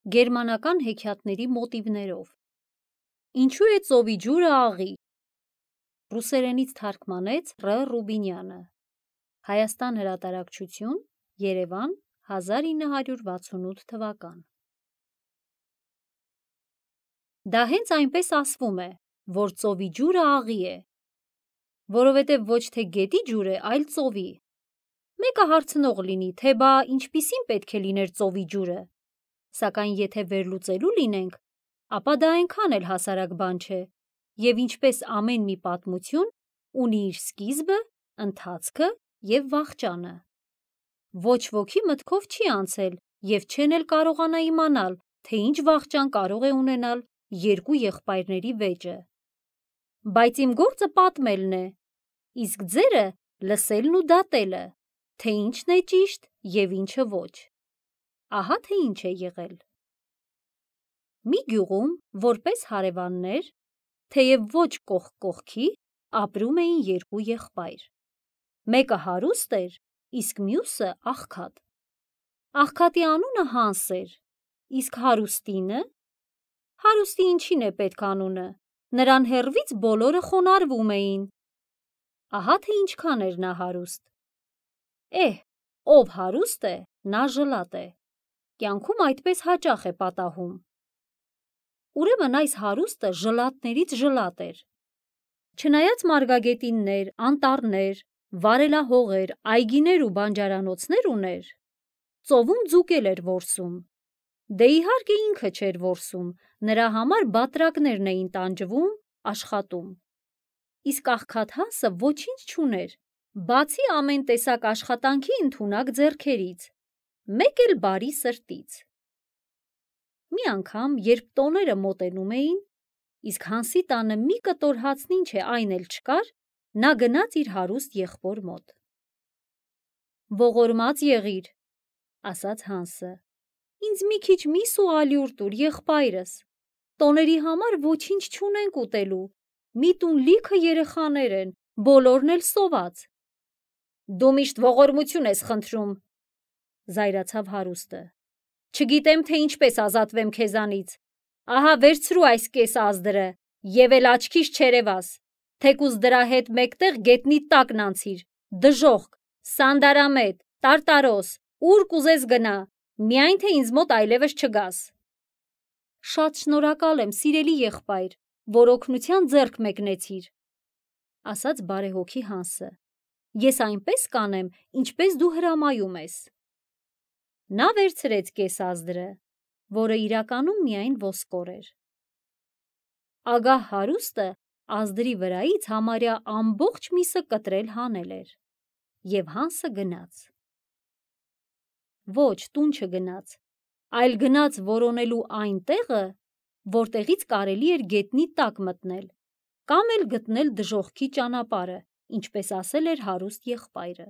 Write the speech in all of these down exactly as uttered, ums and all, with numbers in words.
գերմանական հեքիաթների մոտիվներով։ Ինչու է ծովի ջուրը աղի։ Ռուսերենից թարգմանեց Ռ. Ռուբինյանը։ Հայաստան հրատարակչություն, Երևան, հազար ինը հարյուր վաթսունութ թվական։ Դա հենց այնպես ասվում է, որ ծովի ջուրը աղի է, որովհետև ոչ թե գետի ջուր է, այլ ծովի։ Մեկը հարցնող լինի, թե բա ինչպիսին պետք է լիներ ծովի ջուրը, սակայն եթե վերլուծելու լինենք, ապա դա այնքան էլ հասարակ բան չէ, և ինչպես ամեն մի պատմություն ունի իր սկիզբը, ընթացքը և վախճանը։ Ոչ ոքի մտքով չի անցել և չեն էլ կարողանա իմանալ, թե ինչ վախճան կարող է ունենալ երկու եղբայրների վեճը։ Բայց իմ գործը պատմելն է, իսկ ձերը լսելն ու դատելը, թե ինչն է ճիշտ և ինչը ոչ։ Ահա թե ինչ է եղել։ Մի գյուղում, որպես հարևաններ, թեև ոչ կողք կողքի, ապրում էին երկու եղբայր։ Մեկը հարուստ էր, իսկ մյուսը աղքատ։ Աղքատի անունը Հանս էր, իսկ հարուստինը… Հարուստի ինչին է պետք անունը, նրան հեռվից բոլորը խոնարհվում էին։ Ահա թե ինչքան էր նա հարուստ։ Էհ, ով հարուստ է, նա ժլատ է, կյանքում այդպես հաճախ է պատահում։ Ուրեմն այս հարուստը ժլատներից ժլատ էր։ Չնայած մարգագետիններ, անտառներ, վարելահողեր, այգիներ ու բանջարանոցներ ուներ, ծովում ձուկ էր որսում։ Դե իհարկե ինքը չէր որսում, նրա համար բատրակներն էին տանջվում, աշխատում։ Իսկ աղքատ Հանսը ոչինչ չուներ, բացի ամեն տեսակ աշխատանքի ընդունակ ձեռքերից, մեկ էլ բարի սրտից։ Մի անգամ, երբ տոները մոտենում էին, իսկ Հանսի տանը մի կտոր հացն ինչ է այն էլ չկար, նա գնաց իր հարուստ եղբոր մոտ։ «Ողորմած եղիր», ասաց Հանսը, «ինձ մի քիչ միս ու ալյուր տուր, եղբայրս, տոների համար ոչինչ չունենք ուտելու, մի տուն լիքը երեխաներ են, բոլորն էլ սոված»։ «Դու միշտ ողորմություն ես խնդրում», զայրացավ հարուստը, «չգիտեմ, թե ինչպես ազատվեմ քեզանից, ահա վերցրու այս կես ազդրը և էլ աչքիս չերևաս, թեկուզ դրա հետ մեկտեղ գետնի տակն անցիր, դժոխք, սանդարամետ, տարտարոս, ուր կուզես գնա, միայն թե ինձ մոտ այլևս չգաս»։ «Շատ շնորհակալ եմ, սիրելի եղբայր, որ օգնության ձեռք մեկնեցիր», ասաց բարեհոգի Հանսը, «ես այնպես կանեմ, ինչպես դու հրամայում ես»։ Նա վերցրեց կես ազդրը, որը իրականում միայն ոսկոր էր։ Ագահ հարուստը ազդրի վրայից համարյա ամբողջ միսը կտրել հանել էր, և Հանսը գնաց։ Ոչ, տուն չգնաց, այլ գնաց որոնելու այն տեղը, որտեղից կարելի էր գետնի տակ մտնել, կամ էլ գտնել դժոխքի ճանապարհը, ինչպես ասել էր հարուստ եղբայրը։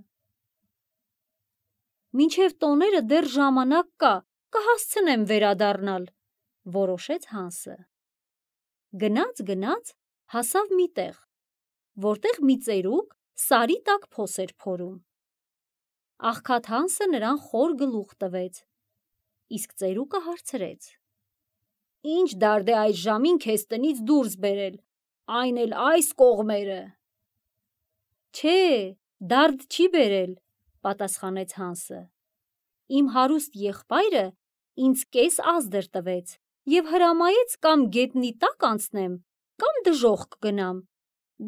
«Մինչև տոները դեռ ժամանակ կա, կհասցնեմ վերադառնալ», որոշեց Հանսը։ Գնաց, գնաց, հասավ մի տեղ, որտեղ մի ծերուկ սարի տակ փոս էր փորում։ Աղքատ Հանսը նրան խոր գլուխ տվեց, իսկ ծերուկը հարցրեց. «Ինչ դարդ է այս ժամին քեզ տնից դուրս բերել, այն էլ այս կողմերը»։ «Չէ, դարդ չի բերել», պատասխանեց Հանսը, «իմ հարուստ եղբայրը ինձ կես ազդր տվեց և հրամայեց կամ գետնի տակ անցնեմ, կամ դժոխք գնամ,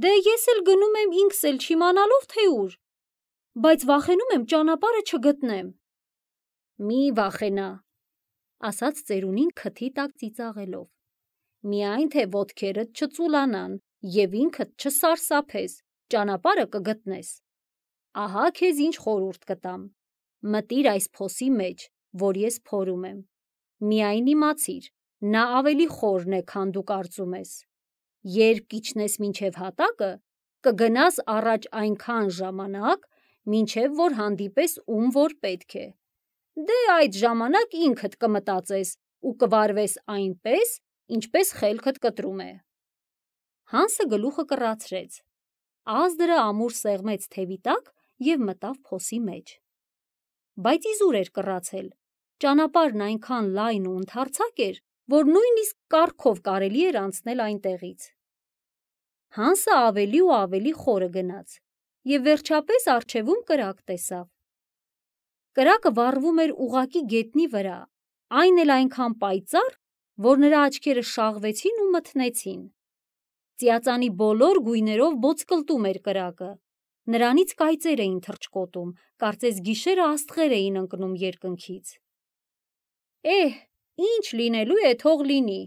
դե ես էլ գնում եմ ինքս էլ չիմանալով, թե ուր, բայց վախենում եմ ճանապարհը չգտնեմ»։ «Մի վախենա», ասաց ծերունին քթի տակ ծիծաղելով, «միայն թե ոտքերդ չծուլանան և ինքդ չսարսափես, ճանապարհը կգտնես։ Ահա քեզ ինչ խորհուրդ կտամ. մտիր այս փոսի մեջ, որ ես փորում եմ, միայն իմացիր, նա ավելի խորն է, քան դու կարծում ես։ Երբ կիջնես մինչև հատակը, կգնաս առաջ այնքան ժամանակ, մինչև որ հանդիպես ում որ պետք է, դե այդ ժամանակ ինքդ կմտածես ու կվարվես այնպես, ինչպես խելքդ կտրում է»։ Հանսը գլուխը կռացրեց, ազդրը ամուր սեղմեց թևի տակ և մտավ փոսի մեջ։ Բայց իզուր էր կռացել, Ճանապարհն այնքան լայն ու ընդարձակ էր, որ նույնիսկ կառքով կարելի էր անցնել այնտեղից։ Հանսը ավելի ու ավելի խորը գնաց և վերջապես առջևում կրակ տեսավ։ Կրակը վառվում էր ուղղակի գետնի վրա, այն էլ այնքան պայծառ, որ նրա աչքերը շաղվեցին ու մթնեցին։ Ծիածանի բոլոր գույներով ոտսկլտում էր կրակը, նրանից կայծեր էին թռչկոտում, կարծես գիշերը աստղեր էին ընկնում երկնքից։ «Էհ, ինչ լինելու է, թող լինի»,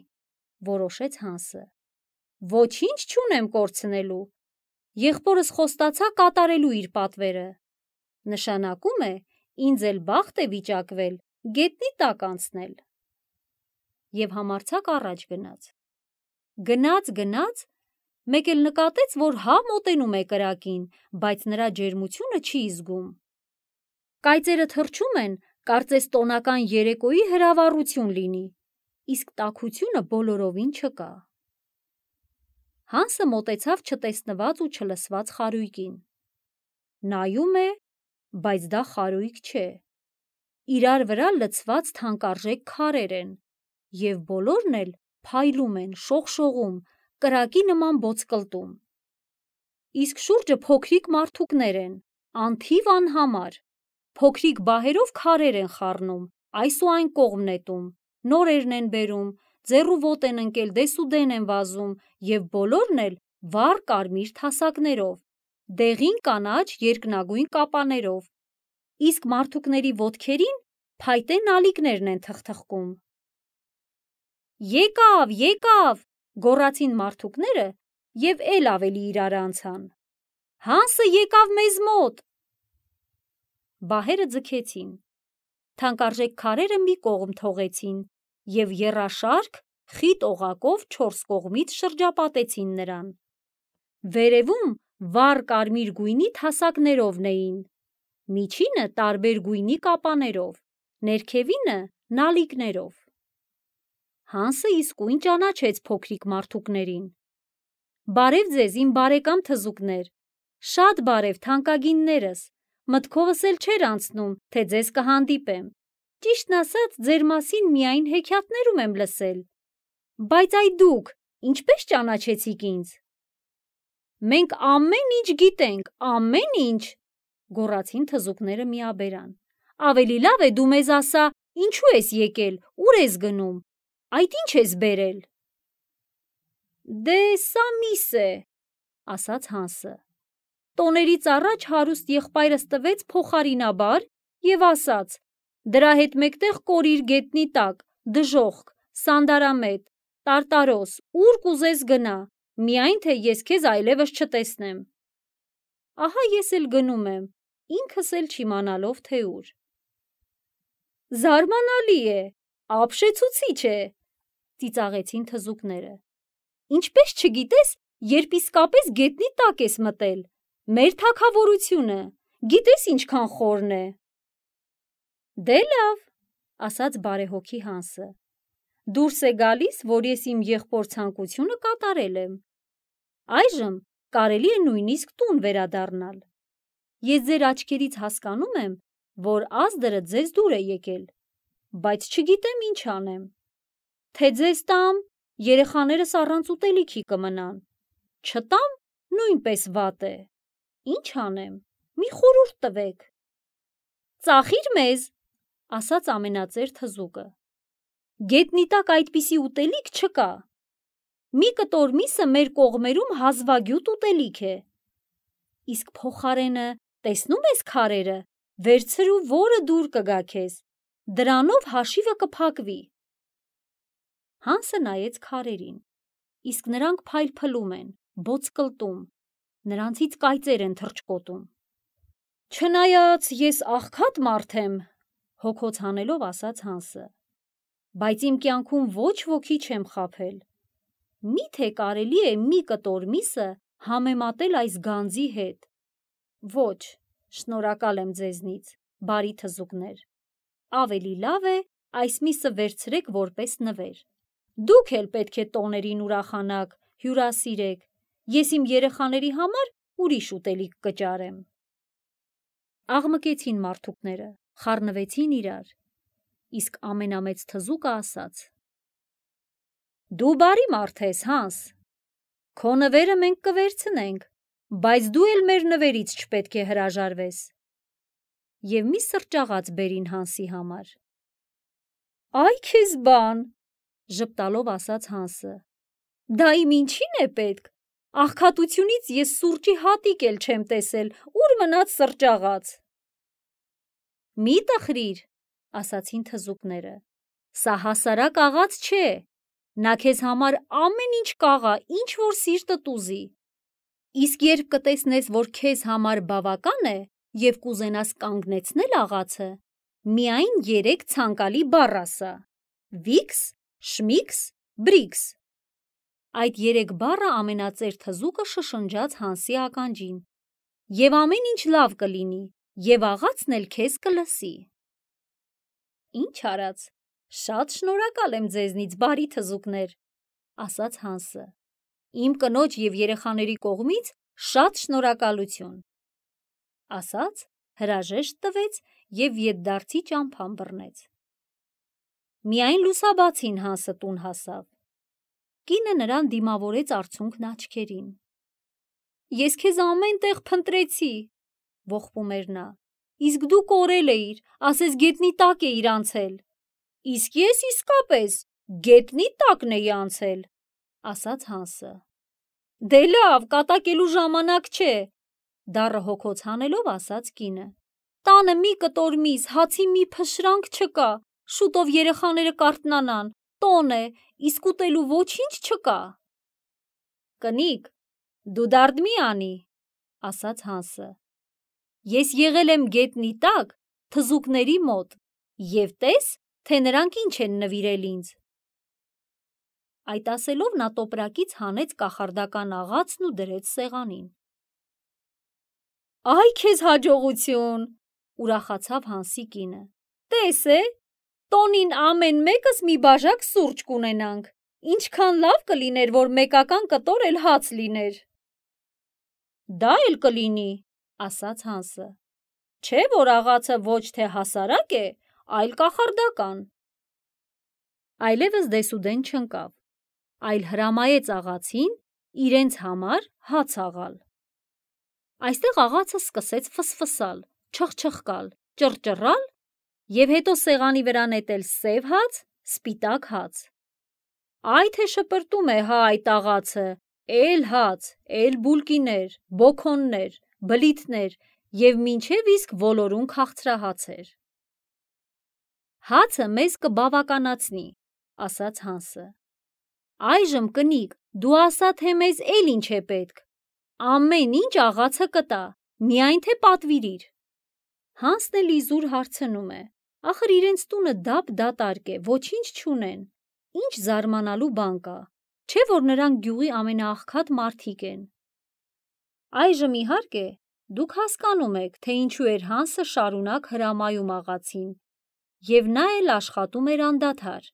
որոշեց Հանսը։ «Ոչինչ չունեմ կորցնելու։ Եղբորս խոստացա կատարելու իր պատվերը։ Նշանակում է, ինձ էլ բախտ է վիճակվել գետնի տակ անցնել»։ Եվ համարձակ առաջ գնաց։ Գնաց, գնաց, մեկ էլ նկատեց, որ հա մոտենում է կրակին, բայց նրա ջերմությունը չի զգում։ Կայծերը թռչում են, կարծես տոնական երեկոյի հրավառություն լինի, իսկ տաքությունը բոլորովին չկա։ Հանսը մոտեցավ չտեսնված ու չլսված խարույկին։ Նայում է, բայց դա խարույկ չէ։ Իրար վրա լցված թանկարժեք քարեր են, և բոլորն էլ փայլում են, շողշողում, կրակի նման ոտսկլտում։ Իսկ շուրջը փոքրիկ մարդուկներ են, անթիվ անհամար, փոքրիկ բահերով քարեր են խառնում, այս ու այն կողմ նետում, նորերն են բերում, ձեռ ու ոտ են ընկել, դես ու դեն են վազում, և բոլորն էլ վառ կարմիր թասակներով, դեղին կանաչ երկնագույն կապաներով, իսկ մարդուկների ոտքերին փայտե նալիկներն են թխթխկում։ «Եկավ, եկավ», գոռացին մարդուկները և էլ ավելի իրար անցան։ «Հանսը եկավ մեզ մոտ»։ Բահերը ձգեցին, թանկարժեք քարերը մի կողմ թողեցին և եռաշարք խիտ օղակով չորս կողմից շրջապատեցին նրան։ Վերևում վառ կարմիր գույնի թասակներովն էին, միջինը տարբեր գույնի կապաներով, ներքևինը նալիկներով։ Հանսը իսկույն ճանաչեց փոքրիկ մարդուկներին։ «Բարև ձեզ, իմ բարեկամ թզուկներ, շատ բարև, թանկագիններս, մտքովս էլ չէր անցնում, թե ձեզ կհանդիպեմ, ճիշտն ասած, ձեր մասին միայն հեքիաթներում եմ լսել, բայց այ դուք ինչպե՞ս ճանաչեցիք ինձ»։ «Մենք ամեն ինչ գիտենք, ամեն ինչ», գոռացին թզուկները միաբերան։ «Ավելի լավ է դու մեզ ասա, ինչու ես եկել, ուր ես գնում, այդ ինչ ես բերել»։ «Դե սա միս է», ասաց Հանսը։ «Տոներից առաջ հարուստ եղբայրս տվեց փոխարինաբար և ասաց. դրա հետ մեկտեղ կորիր գետնի տակ, դժոխք, սանդարամետ, տարտարոս, ուր կուզես գնա, միայն թե ես քեզ այլևս չտեսնեմ։ Ահա ես էլ գնում եմ, ինքս էլ չիմանալով, թե ուր»։ «Զարմանալի է, ապշեցուցիչ է», ծիծաղեցին թզուկները։ «Ինչպես չգիտես, երբ իսկապես գետնի տակ ես մտել, մեր թագավորությունը, գիտես ինչքան խորն է»։ «Դե լավ», ասաց բարեհոգի Հանսը, «դուրս է գալիս, որ ես իմ եղբոր ցանկությունը կատարել եմ։ Այժմ կարելի է նույնիսկ տուն վերադառնալ։ Ես ձեր աչքերից հասկանում եմ, որ ազդրը ձեզ դուր է եկել, բայց չգիտեմ ինչ անեմ։ Թե ձեզ տամ, երեխաներս առանց ուտելիքի կմնան, չտամ, նույնպես վատ է։ Ինչ անեմ, մի խորհուրդ տվեք»։ «Ծախիր մեզ», ասաց ամենածեր թզուկը։ «Գետնի տակ այդպիսի ուտելիք չկա։ Մի կտոր միսը մեր կողմերում հազվագյուտ ուտելիք է։ Իսկ փոխարենը, տեսնու՞մ ես քարերը, վերցրու, որը դուր կգա քեզ, դրանով հաշիվը կփակվի»։ Հանսը նայեց քարերին, իսկ նրանք փայլփլում են, ոտսկլտում, նրանցից կայծեր են թռչկոտում։ «Չնայած ես աղքատ մարդ եմ», հոգոց հանելով ասաց Հանսը, «բայց իմ կյանքում ոչ ոքի չեմ խաբել։ Մի՞թե կարելի է մի կտոր միսը համեմատել այս գանձի հետ։ Ոչ, շնորհակալ եմ ձեզնից, բարի թզուկներ։ Ավելի լավ է այս միսը վերցրեք որպես նվեր։ Դուք էլ պետք է տոներին ուրախանաք, հյուրասիրեք, ես իմ երեխաների համար ուրիշ ուտելիք կճարեմ»։ Աղմկեցին մարդուկները, խառնվեցին իրար, իսկ ամենամեծ թզուկը ասաց. Դու բարի մարդ ես, Հանս, քո նվերը մենք կվերցնենք, բայց դու էլ մեր նվերից չպետք է հրաժարվես։ Եվ մի սրճաղաց բերին Հանսի համար։ Այ քեզ բան, ժպտալով ասաց Հանսը, դա իմ ինչին է պետք, աղքատությունից ես սուրճի հատիկ էլ չեմ տեսել, ուր մնաց սրճաղաց։ Մի տխրիր, ասացին թզուկները, սա հասարակ աղաց չէ, նա քեզ համար ամեն ինչ կաղա, ինչ որ սիրտդ ուզի, իսկ երբ կտեսնես, որ քեզ համար բավական է և կուզենաս կանգնեցնել աղացը, միայն երեք ցանկալի բառ ասա. Վիքս, Շմիքս, Բրիքս։ Այդ երեք բառը ամենածեր թզուկը շշնջաց Հանսի ականջին, և ամեն ինչ լավ կլինի, և աղացն էլ քեզ կլսի։ Ինչ արած, շատ շնորհակալ եմ ձեզնից, բարի թզուկներ, ասաց Հանսը, իմ կնոջ և երեխաների կողմից շատ շնորհակալություն։ Ասաց, հրաժեշտ տվեց և ետդարձի ճամփան բռնեց։ Միայն լուսաբացին Հանսը տուն հասավ։ Կինը նրան դիմավորեց արցունքն աչքերին։ Ես քեզ ամեն տեղ փնտրեցի, ողբում էր նա, իսկ դու կորել էիր, ասես գետնի տակ էիր անցել։ Իսկ ես իսկապես գետնի տակն էի անցել, ասաց Հանսը։ Դե լավ, կատակելու ժամանակ չէ, դառը հոգոց հանելով ասաց կինը։ Տանը մի կտոր միս, հացի մի փշրանք չկա, շուտով երեխաները կարթնանան, տոն է, իսկ ուտելու ոչինչ չկա։ Կնիկ, դու դարդ մի անի, ասաց Հանսը։ Ես եղել եմ գետնի տակ թզուկների մոտ և տես, թե նրանք ինչ են նվիրել ինձ։ Այդ ասելով նա տոպրակից հանեց կախարդական աղացն ու դրեց սեղանին։ Այ քեզ հաջողություն, ուրախացավ Հանսի կինը։ Տես է, տոնին ամեն մեկս մի բաժակ սուրճ կունենանք, ինչքան լավ կլիներ, որ մեկական կտոր էլ հաց լիներ։ Դա էլ կլինի, ասաց Հանսը, չէ՞ որ աղացը ոչ թե հասարակ է, այլ կախարդական։ Այլևս դեսուդեն չընկավ, այլ հրամայեց աղացին իրենց համար հաց աղալ։ Այստեղ աղացը սկսեց ֆսֆսալ, չխչխկալ, ճռճռալ և հետո սեղանի վրա նետել սև հաց, սպիտակ հաց։ Այ թե շպրտում է հա այդ աղացը, էլ հաց, էլ բուլկիներ, բոքոններ, բլիթներ և մինչև իսկ ոլորուն քաղցրահացեր։ Հացը մեզ կբավականացնի, ասաց Հանսը։ Այժմ կնիկ, դու ասա, թե մեզ էլ ինչ է պետք։ Ամեն ինչ աղացը կտա, միայն թե պատվիրիր։ Հանսն էլ իզուր հարցնում է, ախր իրենց տունը դափ դատարկ է, ոչինչ չունեն, ինչ զարմանալու բան կա, չէ՞ որ նրանք գյուղի ամենաաղքատ մարդիկ են։ Այժմ իհարկե դուք հասկանում եք, թե ինչու էր Հանսը շարունակ հրամայում աղացին, և նա էլ աշխատում էր անդադար,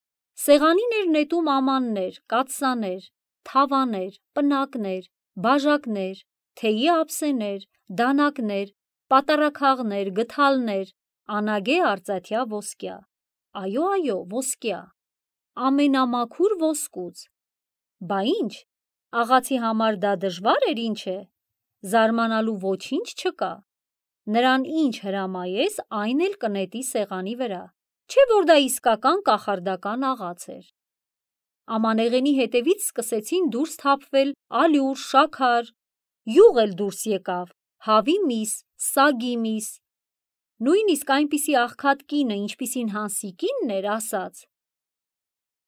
սեղանին էր նետում ամաններ, կաթսաներ, թավաներ, պնակներ, բաժակներ, թեյի ափսեներ, դանակներ, պատառաքաղներ, գդալներ, անագե արծաթյա ոսկյա, այո, այո, ոսկյա, ամենամաքուր ոսկուց։ Բա ինչ, աղացի համար դա դժվար էր, ինչ է, զարմանալու ոչինչ չկա, նրան ինչ հրամայես, այն էլ կնետի սեղանի վրա, չէ՞ որ դա իսկական կախարդական աղաց էր։ Ամանեղենի հետևից սկսեցին դուրս թափվել ալյուր, շաքար, յուղ էլ դուրս եկավ, հավի միս, սագի միս։ Նույնիսկ այնպիսի աղքատ կինը, ինչպիսին Հանսի կինն էր, ասաց.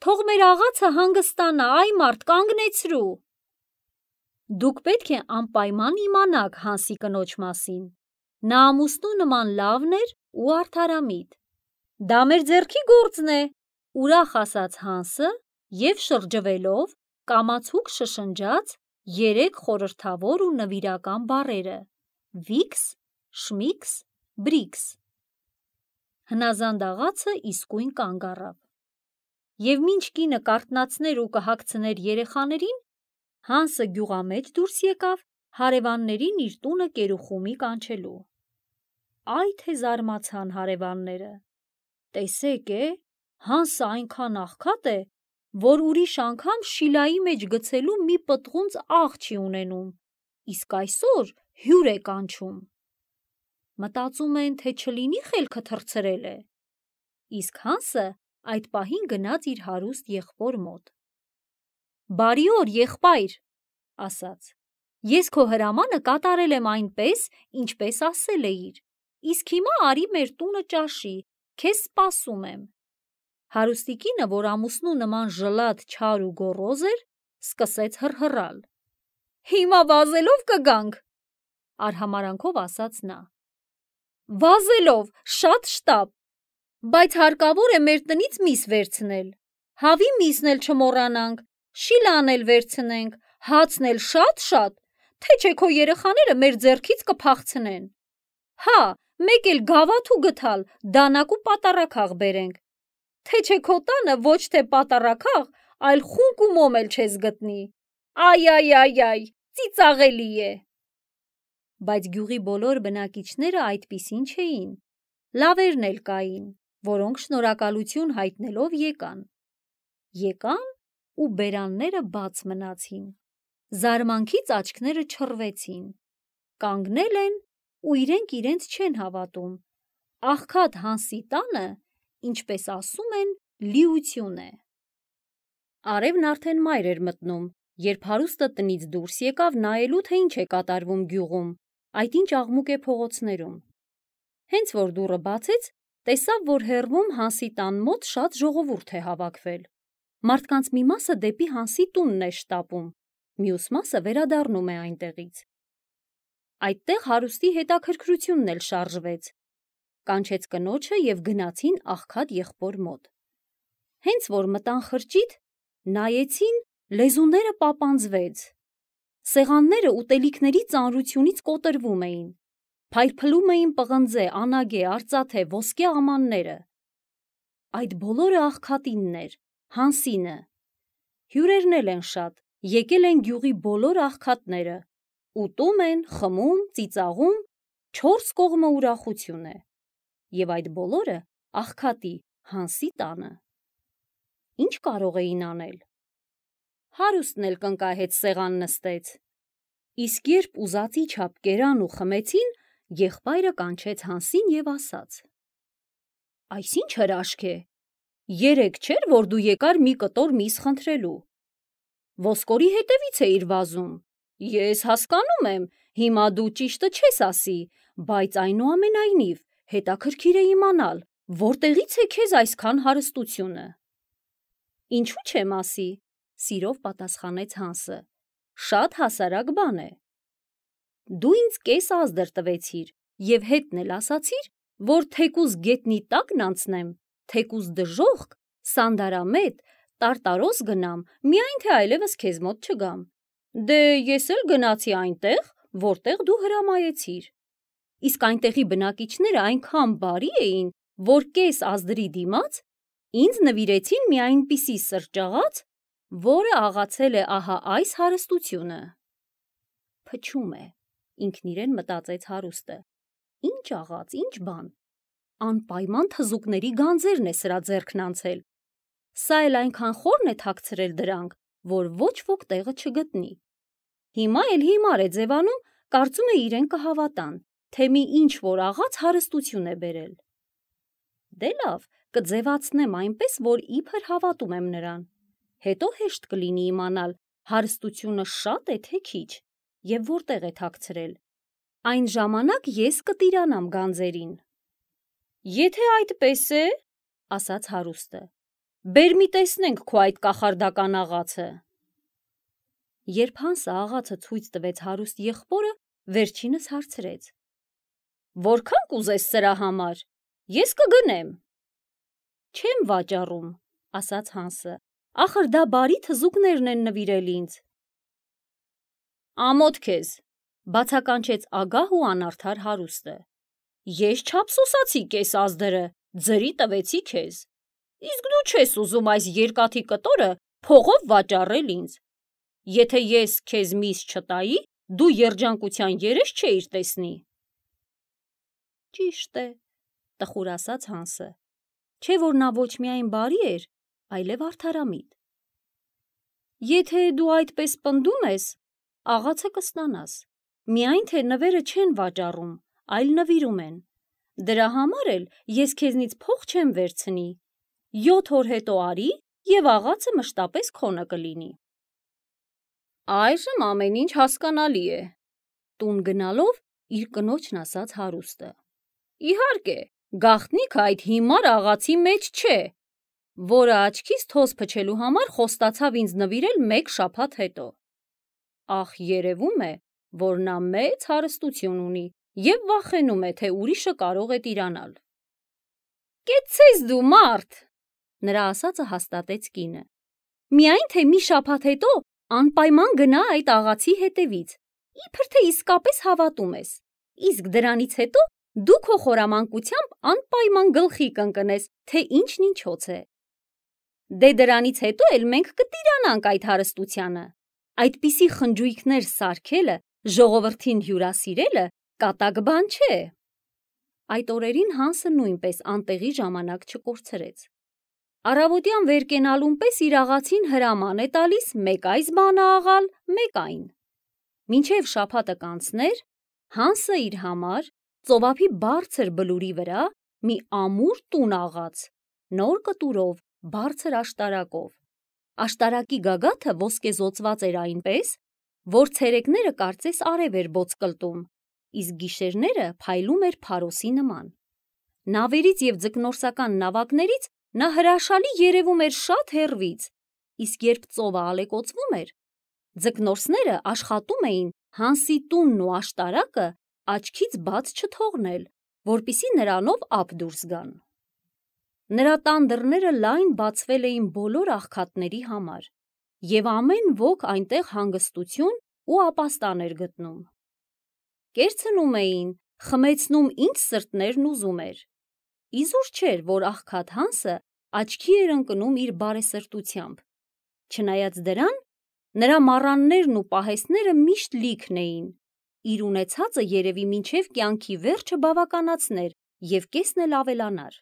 Թող մեր աղացը հանգստանա, այ մարդ, կանգնեցրու։ Դուք պետք է անպայման իմանաք Հանսի կնոջ մասին։ Նա ամուսնու նման լավն էր ու արդարամիտ։ Դա մեր ձեռքի գործն է, ուրախ ասաց Հանսը և շրջվելով կամացուկ շշնջաց երեք խորհրդավոր ու նվիրական բառերը. Վիքս, Շմիքս, Բրիքս։ Հնազանդ աղացը իսկույն կանգ առավ։ Եվ մինչ կինը կարթնացներ ու կհագցներ երեխաներին, Հանսը գյուղամեջ դուրս եկավ հարևաններին իր տունը կերուխումի կանչելու։ Այ թե զարմացան հարևանները։ Տեսեք է, Հանսը այնքան աղքատ է, որ ուրիշ անգամ շիլայի մեջ գցելու մի պտղունց աղ չի ունենում, իսկ այսօր հյուր է կանչում։ Մտածում են, թե չլինի խելքը թռցրել է։ Իսկ Հանսը այդ պահին գնաց իր հարուստ եղբոր մոտ։ Բարի օր, եղբայր, ասաց, ես քո հրամանը կատարել եմ այնպես, ինչպես ասել էիր, իսկ հիմա արի մեր տունը ճաշի, քեզ սպասում եմ։ Հարուստի կինը, որ ամուսնու նման ժլատ, չար ու գոռոզ էր, սկսեց հռհռալ։ Հիմա վազելով կգանք, արհամարանքով ասաց նա։ Վազելով, շատ շտապ, բայց հարկավոր է մեր տնից միս վերցնել, հավի միսն էլ չմոռանանք, շիլան էլ վերցնենք, հացն էլ շատ-շատ, թե չէ քո երեխաները մեր ձեռքից կփախցնեն։ Հա, մեկ էլ գավաթու գթալ, դանակ ու պատառաքաղ բերենք, թե չէ քո տանը ոչ թե պատառաքաղ, այլ խունկ ու մոմ էլ չես գտնի։ Այ, այ, այ, այ, ծիծաղելի է։ Բայց գյուղի բոլոր բնակիչները այդպիսին չէին, լավերն էլ կային, որոնք շնորհակալություն հայտնելով եկան։ Եկան ու բերանները բաց մնացին, զարմանքից աչքները չռվեցին, կանգնել են ու իրենք իրենց չեն հավատում, աղքատ Հանսի տանը, ինչպես ասում են, լիություն է։ Արևն արդեն մայր էր մտնում, երբ հարուստը տնից դուրս եկավ նայելու, թե ինչ է կատարվում գյուղում, այդ ինչ աղմուկ է փողոցներում։ Հենց որ դուռը բացեց, տեսավ, որ հեռվում Հանսի տան մոտ շատ ժողովուրդ է հավաքվել։ Մարդկանց մի մասը դեպի Հանսի տունն է շտապում, մյուս մասը վերադառնում է այնտեղից։ Այդտեղ հարուստի հետաքրքրությունն էլ շարժվեց, կանչեց կնոջը և գնացին աղքատ եղբոր մոտ։ Հենց որ մտան խրճիթ, նայեցին, լեզուները պապանձվեց։ Սեղանները ուտելիքների ծանրությունից կոտրվում էին, փայլփլում էին պղնձե, անագե, արծաթե, ոսկե ամանները։ Այդ բոլորը աղքատինն էր, Հանսինը։ Հյուրերն էլ են շատ, եկել են գյուղի բոլոր աղքատները, ուտում են, խմում, ծիծաղում, չորս կողմը ուրախություն է։ Եվ այդ բոլորը աղքատի Հանսի տանը։ Ինչ կարող էին անել։ Հարուստն էլ կնկահեց սեղան նստեց։ Իսկ երբ ուզածի չափ կերան ու խմեցին, եղբայրը կանչեց Հանսին և ասաց. Այս ինչ հրաշք է, երեկ չէր, որ դու եկար մի կտոր միս խնդրելու։ Ոսկորի հետևից էիր վազում։ Ես հասկանում եմ, հիմա դու ճիշտը չես ասի, բայց այնուամենայնիվ հետաքրքիր է իմանալ, որտեղից է քեզ այսքան հարստությունը։ Ինչու չեմ ասի, սիրով պատասխանեց Հանսը, շատ հասարակ բան է։ Դու ինձ կես ազդր տվեցիր և հետն էլ ասացիր, որ թեկուզ գետնի տակն անցնեմ, թեկուզ դժոխք, սանդարամետ, տարտարոս գնամ, միայն թե այլևս քեզ մոտ չգամ։ Դե ես էլ գնացի այնտեղ, որտեղ դու հրամայեցիր։ Իսկ այնտեղի բնակիչները այնքան բարի էին, որ կես ազդրի դիմաց ինձ նվիրեցին մի այնպիսի սրճաղաց, որը աղացել է ահա այս հարստությունը։ Փչում է, ինքն իրեն մտածեց հարուստը։ Ինչ աղաց, ինչ բան։ Անպայման թզուկների գանձերն է սրա ձեռքն անցել։ Սա էլ այնքան խորն է թաքցրել դրանք, որ ոչ ոք տեղը չգտնի։ Հիմա էլ հիմար է ձևանում, կարծում է իրեն կհավատան, թե մի ինչ որ աղաց հարստություն է բերել։ Դե լավ, կձևացնեմ այնպես, որ իբր հավատում եմ նրան։ Հետո հեշտ կլինի իմանալ, հարստությունը շատ է թե քիչ, և որտեղ է թաքցրել։ Այն ժամանակ ես կտիրանամ գանձերին։ Եթե այդպես է, ասաց հարուստը, բեր մի տեսնենք քո այդ կախարդական աղացը։ Երբ Հանսը աղացը ցույց տվեց հարուստ եղբորը, վերջինս հարցրեց. Որքան կուզես սրա համար, ես կգնեմ։ Չեմ վաճառում, ասաց Հանսը, ախր դա բարի թզուկներն են նվիրել ինձ։ Ամոթ քեզ, բացականչեց ագահ ու անարդար հարուստը։ Ես չափսոսացի կես ազդրը, ձրի տվեցի քեզ։ Իսկ դու չես ուզում այս երկաթի կտորը փողով վաճառել ինձ։ Եթե ես քեզ միս չտայի, դու երջանկության երես չէիր տեսնի։ Ճիշտ է, տխուր ասաց Հանսը։ չէ որ նա ոչ միայն բարի էր, այլև արդարամիտ։ Եթե դու այդպես պնդում ես, աղացը կստանաս, միայն թե նվերը չեն վաճառում, այլ նվիրում են, դրա համար էլ ես քեզնից փող չեմ վերցնի, յոթ օր հետո արի և աղացը մշտապես քոնը կլինի։ Այժմ ամեն ինչ հասկանալի է, տուն գնալով իր կնոջն ասաց հարուստը։ Իհարկե, գաղտնիքը այդ հիմար աղացի մեջ չէ, որը աչքիս թոզ փչելու համար խոստացավ ինձ նվիրել մեկ շաբաթ հետո։ Ախ, երևում է, որ նա մեծ հարստություն ունի և վախենում է, թե ուրիշը կարող է տիրանալ։ Կեցցես դու, մարդ, նրա ասածը հաստատեց կինը։ Միայն թե մի շաբաթ հետո անպայման գնա այդ աղացի հետևից, իբր թե իսկապես հավատում ես, իսկ դրանից հետո դու քո խորամանկությամբ անպայման գլխի կընկնես, թե ինչն ինչոց է։ Դե դրանից հետո էլ մենք կտիրանանք այդ հարստությանը, այդպիսի խնջույքներ սարքելը, ժողովրդին հյուրասիրելը կատակ բան չէ։ Այդ օրերին Հանսը նույնպես անտեղի ժամանակ չկորցրեց։ Առավոտյան վեր կենալուն պես իր աղացին հրաման է տալիս մեկ այս բանը աղալ, մեկ այն։ Մինչև շաբաթը կանցներ, Հանսը իր համար ծովափի բարձր բլուրի վրա մի ամուր տուն աղաց, նոր կտուրով, բարձր աշտարակով։ Աշտարակի գագաթը ոսկեզօծված էր այնպես, որ ցերեկները կարծես արև էր ոսկլտում, իսկ գիշերները փայլում էր փարոսի նման։ Նավերից և ձկնորսական նավակներից նա հրաշալի երևում էր շատ հեռվից, իսկ երբ ծովը ալեկոծվում էր, ձկնորսները աշխատում էին Հանսի տունն ու աշտարակը աչքից բաց չթողնել, որպեսզի նրանով ափ դուրս գան։ Նրա տան դռները լայն բացվել էին բոլոր աղքատների համար, և ամեն ոք այնտեղ հանգստություն ու ապաստան էր գտնում։ Կերցնում էին, խմեցնում ինչ սրտներն ուզում էր։ Իզուր չէր, որ աղքատ Հանսը աչքի էր ընկնում իր բարեսրտությամբ։ Չնայած դրան, նրա մառաններն ու պահեստները միշտ լիքն էին, իր ունեցածը երևի մինչև կյանքի վերջը բավականացներ և կեսն էլ ավելանար։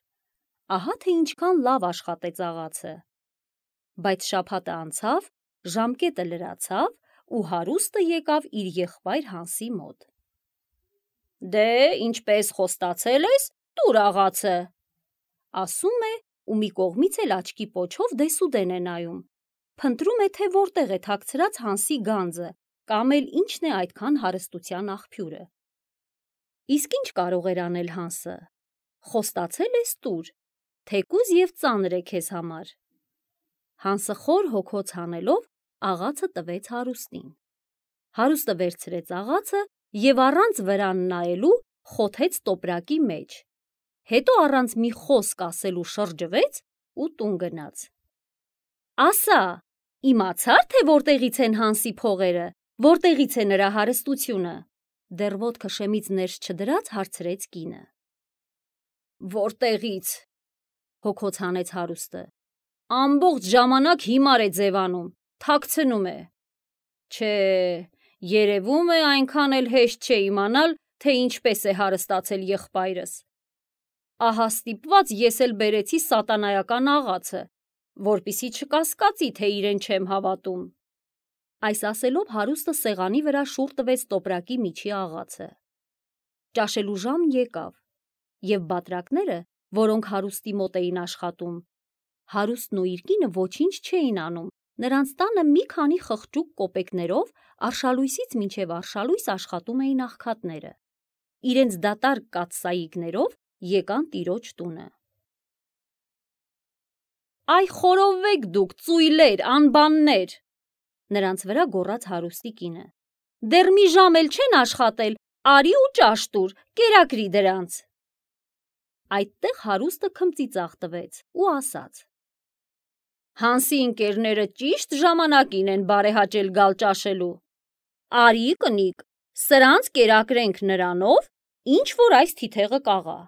Ահա թե ինչքան լավ աշխատեց աղացը։ Բայց շաբաթը անցավ, ժամկետը լրացավ ու հարուստը եկավ իր եղբայր Հանսի մոտ։ Դե, ինչպես խոստացել ես, տուր աղացը, ասում է ու մի կողմից էլ աչքի պոչով դեսուդեն է նայում, փնտրում է, թե որտեղ է թաքցրած Հանսի գանձը, կամ էլ ինչն է այդքան հարստության աղբյուրը։ Իսկ ինչ կարող էր անել Հանսը։ Խոստացել ես տուր, թեկուզ և ծանր է քեզ համար։ Հանսը խոր հոգոց հանելով աղացը տվեց հարուստին։ Հարուստը վերցրեց աղացը և առանց վրան նայելու խոթեց տոպրակի մեջ, հետո առանց մի խոսք ասելու շրջվեց ու տուն գնաց։ Ասա, իմացա՞ր, թե որտեղից են Հանսի փողերը, որտեղից է նրա հարստությունը, դեռ ոտքը շեմից ներս չդրած հարցրեց կինը։ Որտեղից, հոգոց հանեց հարուստը, ամբողջ ժամանակ հիմար է ձևանում, թաքցնում է։ Չէ, երևում է այնքան էլ հեշտ չէ իմանալ, թե ինչպես է հարստացել եղբայրս։ Ահա ստիպված ես էլ բերեցի սատանայական աղացը, որպեսզի չկասկածի, թե իրեն չեմ հավատում։ Այս ասելով հարուստը սեղանի վրա շուռ տվեց տոպրակի միջի աղացը։ Ճաշելու ժամն եկավ, և բատրակները, որոնք հարուստի մոտ էին աշխատում, հարուստն ու իր կինը ոչինչ չէին անում, նրանց տանը մի քանի խղճուկ կոպեկներով արշալույսից մինչև արշալույս աշխատում էին աղքատները։ Իրենց դատարկ կաթսայիկներով եկան տիրոջ տունը։ Այ խորովվեք դուք, ծույլեր, անբաններ, նրանց վրա գոռաց հարուստի կինը։ Դեռ մի ժամ էլ չեն աշխատել, արի ու ճաշ տուր, կերակրի դրանց։ Այդտեղ հարուստը քմծիծաղ տվեց ու ասաց. Հանսի ընկերները ճիշտ ժամանակին են բարեհաճել գալ ճաշելու։ Արի կնիկ, սրանց կերակրենք նրանով, ինչ որ այս թիթեղը կաղա։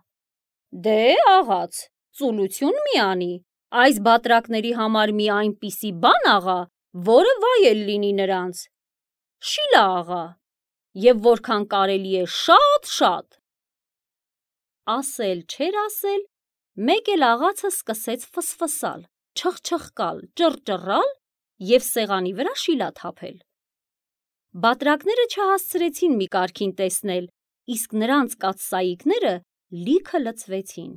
Դե աղաց, ծուլություն մի անի, այս բատրակների համար մի այնպիսի բան աղա, որը վայել լինի նրանց։ Շիլա աղա, և որքան կարելի է շատ-շատ։ Ասել չէր ասել, Մեկ էլ աղացը սկսեց ֆսֆսալ, չխչխկալ, ճռճռալ և սեղանի վրա շիլա թափել։ Բատրակները չհասցրեցին մի կարգին տեսնել, իսկ նրանց կաթսայիկները լիքը լցվեցին։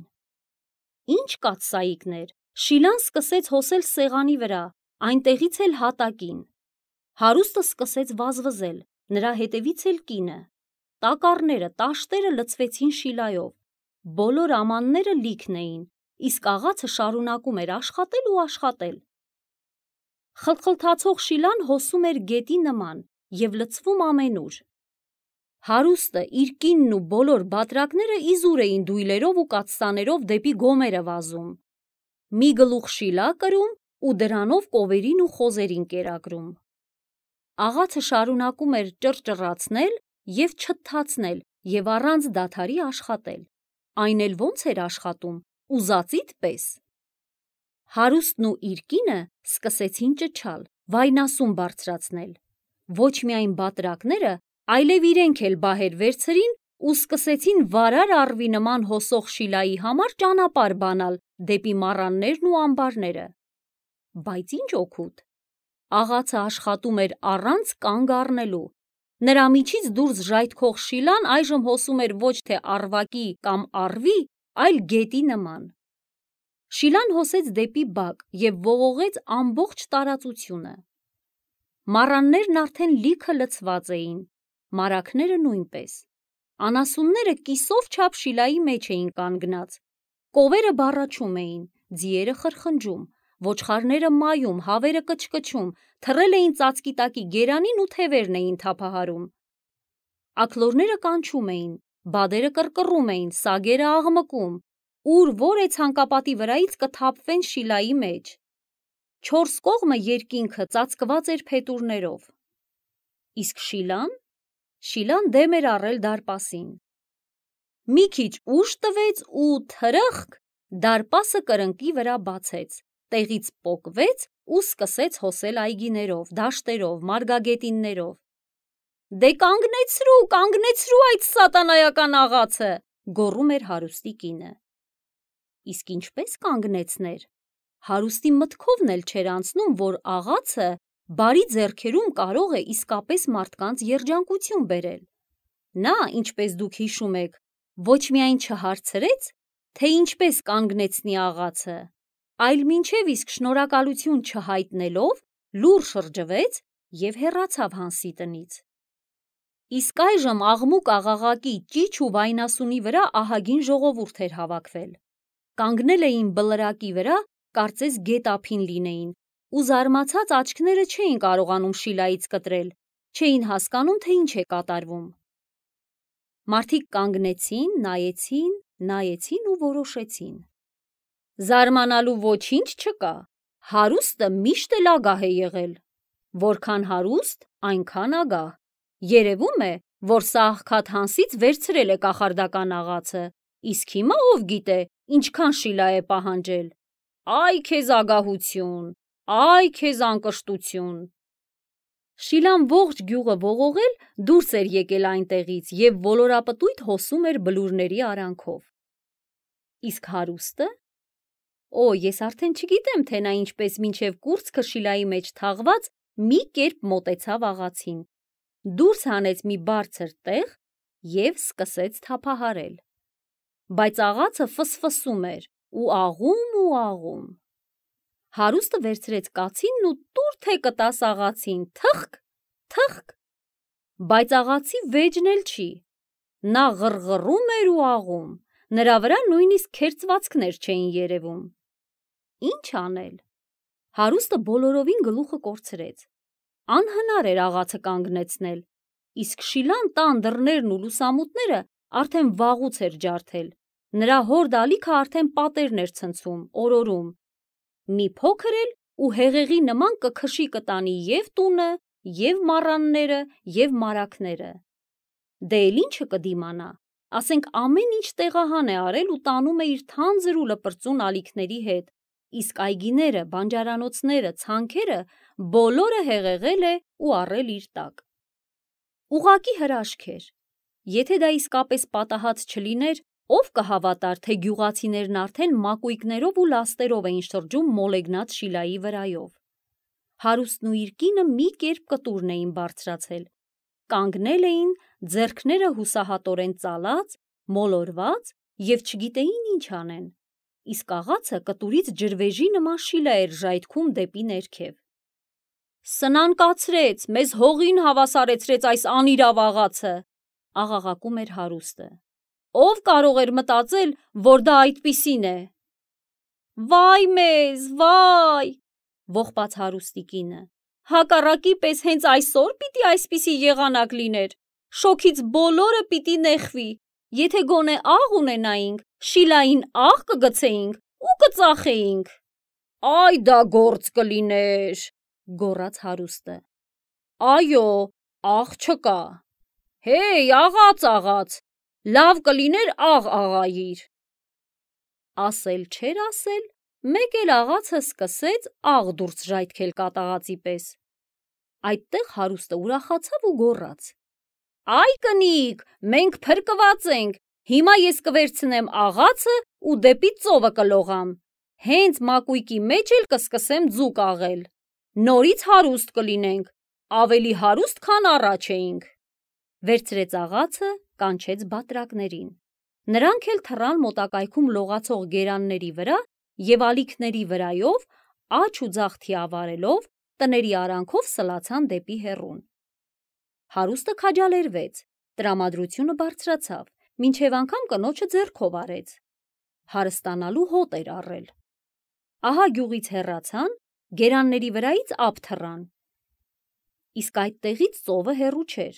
Ինչ կաթսայիկներ, շիլան սկսեց հոսել սեղանի վրա, այնտեղից էլ հատակին։ Հարուստը սկսեց վազվզել, նրա հետևից էլ կինը։ Տակառները, տաշտերը լցվեցին շիլայով, բոլոր ամանները լիքն էին, իսկ աղացը շարունակում էր աշխատել ու աշխատել։ Խլխլթացող շիլան հոսում էր գետի նման և լցվում ամենուր։ Հարուստը, իր կինն ու բոլոր բատրակները իզուր էին դույլերով ու կաթսաներով դեպի գոմերը վազում։ Մի գլուխ շիլա կրում ու դրանով կովերին ու խոզերին կերակրում։ Աղացը շարունակում էր ճռճռացնել և չթթացնել և առանց դադարի աշխատել, այն էլ ոնց էր աշխատում, ուզածիդ պես։ Հարուստն ու իր կինը սկսեցին ճչալ, վայնասուն բարձրացնել։ Ոչ միայն բատրակները, այլև իրենք էլ բահեր վերցրին ու սկսեցին վարար առվի նման հոսող շիլայի համար ճանապարհ բանալ դեպի մառաններն ու ամբարները։ Բայց ինչ օգուտ։ Աղացը աշխատում էր առանց կանգ առնելու։ Նրա միջից դուրս ժայթքող շիլան այժմ հոսում էր ոչ թե առվակի կամ առվի, այլ գետի նման։ Շիլան հոսեց դեպի բակ և ողողեց ամբողջ տարածությունը։ Մառաններն արդեն լիքը լցված էին, մարակները նույնպես։ Անասունները կիսով չափ շիլայի մեջ էին կանգնած։ Կովերը բառաչում էին, ձիերը խրխնջում, ոչխարները մայում, հավերը կչկչում, թռել էին ծածկի տակի գերանին ու թևերն էին թափահարում։ Աքլորները կանչում էին, բադերը կռկռում էին, սագերը աղմկում, ուր որ է ցանկապատի վրայից կթափվեն շիլայի մեջ։ Չորս կողմը երկինքը ծածկված էր փետուրներով։ Իսկ շիլան, շիլան դեմ էր առել դարպասին։ Մի քիչ ուժ տվեց ու թրըխկ, դարպասը կրնկի վրա բացեց, տեղից պոկվեց ու սկսեց հոսել այգիներով, դաշտերով, մարգագետիններով։ Դե կանգնեցրու, կանգնեցրու այդ սատանայական աղացը, գոռում էր հարուստի կինը։ Իսկ ինչպես կանգնեցներ։ Հարուստի մտքովն էլ չէր անցնում, որ աղացը բարի ձեռքերում կարող է իսկապես մարդկանց երջանկություն բերել։ Նա, ինչպես դուք հիշում եք, ոչ միայն չհարցրեց, թե ինչպես կանգնեցնի աղացը, այլ մինչև իսկ շնորհակալություն չհայտնելով, լուռ շրջվեց և հեռացավ Հանսի տնից։ Իսկ այժմ աղմուկ-աղաղակի, ճիչ ու վայնասունի վրա ահագին ժողովուրդ էր հավաքվել։ Կանգնել էին բլրակի վրա, կարծես գետափին լինեին, ու զարմացած աչքները չէին կարողանում շիլայից կտրել, չէին հասկանում, թե ինչ է կատարվում։ Մարդիկ կանգնեցին, նայեցին, նայեցին ու որոշեցին։ Զարմանալու ոչինչ չկա, հարուստը միշտ էլ ագահ է եղել։ Որքան հարուստ, այնքան ագահ։ Երևում է, որ սա աղքատ Հանսից վերցրել է կախարդական աղացը, իսկ հիմա ով գիտե, ինչքան շիլա է պահանջել։ Այ քեզ ագահություն, այ քեզ անկշտություն։ Շիլան ողջ գյուղը ողողել դուրս էր եկել այնտեղից և ոլորապտույտ հոսում էր բլուրների արանքով։ Իսկ հարուստը։ Օ, ես արդեն չգիտեմ, թե նա ինչպես մինչև կուրծքը շիլայի մեջ թաղված մի կերպ մոտեցավ աղացին, դուրս հանեց մի բարձր տեղ և սկսեց թափահարել։ Բայց աղացը ֆսֆսում էր ու աղում ու աղում։ Հարուստը վերցրեց կացինն ու տուր թե կտաս աղացին, թխկ, թխկ։ Բայց աղացի վեճն էլ չի։ Նա ղռղռում էր ու աղում, նրա վրա նույնիսկ քերծվածքներ չէին երևում։ Ինչ անել։ Հարուստը բոլորովին գլուխը կորցրեց։ Անհնար էր աղացը կանգնեցնել, իսկ շիլան տան դռներն ու լուսամուտները արդեն վաղուց էր ջարդել, նրա հորդ ալիքը արդեն պատերն էր ցնցում, օրորում։ Մի փոքր էլ ու հեղեղի նման կքշի կտանի և տունը, և մառանները, և մարակները։ Դե էլ ինչը կդիմանա, ասենք ամեն ինչ տեղահան է արել ու տանում է իր թանձր ու լպրծուն ալիքների հետ, իսկ այգիները, բանջարանոցները, ցանքերը բոլորը հեղեղել է ու առել իր տակ։ Ուղղակի հրաշք էր։ Եթե դա իսկապես պատահած չլիներ, Ով կհավատար, թե գյուղացիներն արդեն մակույկներով ու լաստերով էին շրջում մոլեգնած Շիլայի վրայով։ Հարուստն ու իր կինը մի կերպ կտուրն էին բարձրացել, կանգնել էին, ձեռքները հուսահատորեն ծալած, մոլորված և չգիտեին ինչ անեն, իսկ աղացը կտուրից ջրվեժի նման շիլա էր ժայթքում դեպի ներքև։ Սնան կացրեց, մեզ հողին հավասարեցրեց այս անիրավ աղացը, աղաղակում էր հարուստը։ Ով կարող էր մտածել, որ դա այդպիսին է։ Վայ մեզ, վայ, ողբաց հարուստի կինը, հակառակի պես հենց այսօր պիտի այսպիսի եղանակ լիներ, շոգից բոլորը պիտի նեղվի, եթե գոնե աղ ունենայինք, Շիլային աղ կգցեինք ու կծախեինք։ Այ դա գործ կլիներ, գոռաց հարուստը։ Այո, աղ չկա։ Հեյ, աղաց, աղաց, լավ կլիներ աղ աղայիր։ Ասել չէր ասել, մեկ էլ աղացը սկսեց աղ դուրս ժայթքել կատաղածի պես։ Այդտեղ հարուստը ուրախացավ ու գոռաց. Այ կնիկ, մենք փրկված ենք, հիմա ես կվերցնեմ աղացը ու դեպի ծովը կլողամ, հենց մակույկի մեջ էլ կսկսեմ ձուկ աղել, նորից հարուստ կլինենք, ավելի հարուստ, քան առաջ էինք։ Վերցրեց աղացը, կանչեց բատրակներին։ Նրանք էլ թռան մոտակայքում լողացող գերանների վրա և ալիքների վրայով, աջ ու ձախ թիավարելով, տների արանքով սլացան դեպի հեռուն։ Հարուստը քաջալերվեց, տրամադրությունը բարձրացավ, մինչև անգամ կնոջը ձեռքով արեց։ Հարստանալու հոտ էր առել։ Ահա գյուղից հեռացան, գերանների վրայից ափ թռան։ Իսկ այդտեղից ծովը հեռու չէր։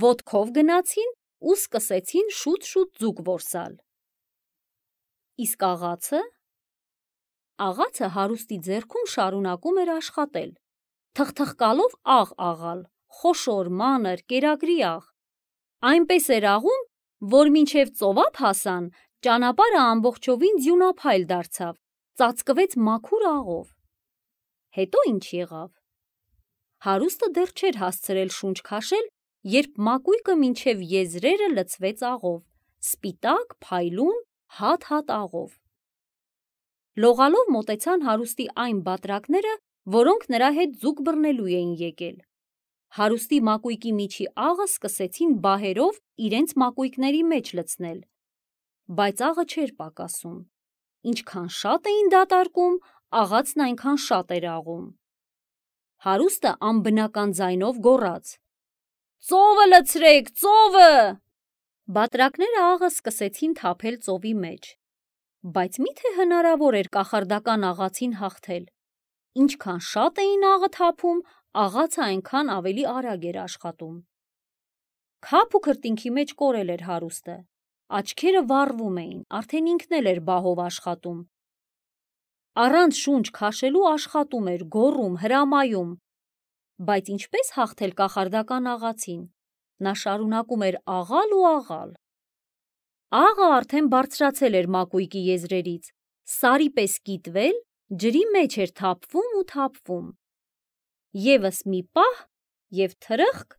Ոտքով գնացին ու սկսեցին շուտ-շուտ ձուկ որսալ։ Իսկ աղացը… Աղացը հարուստի ձեռքում շարունակում էր աշխատել, թխթխկալով աղ աղալ, խոշոր, մանր, կերակրի աղ։ Այնպես էր աղում, որ մինչև ծովափ հասան, ճանապարհը ամբողջովին ձյունափայլ դարձավ, ծածկվեց մաքուր աղով։ Հետո ինչ եղավ։ Հարուստը դեռ չէր հասցրել շունչ քաշել, երբ մակույկը մինչև եզրերը լցվեց աղով, սպիտակ, փայլուն, հատ-հատ աղով։ Լողալով մոտեցան հարուստի այն բատրակները, որոնք նրա հետ ձուկ բռնելու էին եկել։ Հարուստի մակույկի միջի աղը սկսեցին բահերով իրենց մակույկների մեջ լցնել, բայց աղը չէր պակասում։ Ինչքան շատ էին դատարկում, աղացն այնքան շատ էր աղում։ Հարուստը անբնական ձայնով գոռաց. Ծովը լցրեք, ծովը… Բատրակները աղը սկսեցին թափել ծովի մեջ։ Բայց միթե հնարավոր էր կախարդական աղացին հաղթել։ Ինչքան շատ էին աղը թափում, աղացը այնքան ավելի արագ էր աշխատում։ Քափ ու քրտինքի մեջ կորել էր հարուստը։ Աչքերը վառվում էին, արդեն ինքն էլ էր բահով աշխատում։ Առանց շունչ քաշելու աշխատում էր, գոռում, հրամայում։ Բայց ինչպես հաղթել կախարդական աղացին։ Նա շարունակում էր աղալ ու աղալ։ Աղը արդեն բարձրացել էր մակույկի եզրերից, սարի պես կիտվել, ջրի մեջ էր թափվում ու թափվում։ Եվս մի պահ և թրըխկ,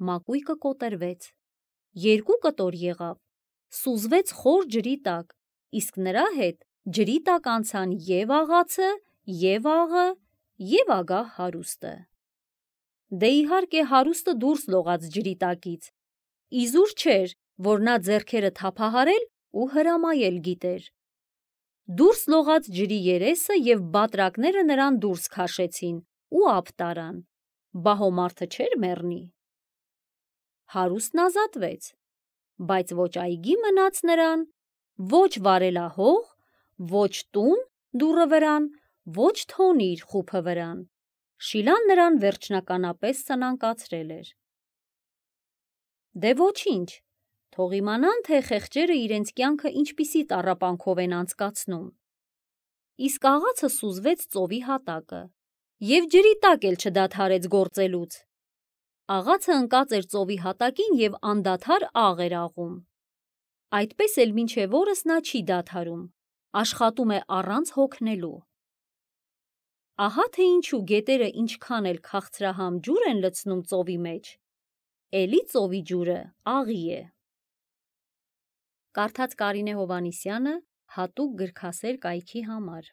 մակույկը կոտրվեց։ Երկու կտոր եղավ, սուզվեց խոր ջրի տակ, իսկ նրա հետ ջրի տակ անցան և աղացը, և աղը, և ագահ հարուստը։ Դե իհարկե հարուստը դուրս լողաց ջրի տակից։ Իզուր չէր, որ նա ձեռքերը թափահարել ու հրամայել գիտեր։ Դուրս լողաց ջրի երեսը և բատրակները նրան դուրս քաշեցին ու ափ տարան։ Բահոմարդը չէր մեռնի։ Հարուստն ազատվեց, բայց ոչ այգի մնաց նրան, ոչ վարելահող, ոչ տուն դուռը վրան, ոչ թոնիր խուփը վրան։ Շիլան նրան վերջնականապես սնանկացրել էր։ Դե ոչինչ, թող իմանան, թե խեղճերը իրենց կյանքը ինչպիսի տառապանքով են անցկացնում։ Իսկ աղացը սուզվեց ծովի հատակը և ջրի տակ էլ չդադարեց գործելուց։ Աղացը ընկած էր ծովի հատակին և անդադար աղ էր աղում։ Այդպես էլ մինչև օրս նա չի դադարում, աշխատում է առանց հոգնելու։ Ահա թե ինչու գետերը ինչքան էլ քաղցրահամ ջուր են լցնում ծովի մեջ, էլի ծովի ջուրը աղի է։ Կարդաց Կարինե Հովհաննիսյանը հատուկ գրքասեր կայքի համար։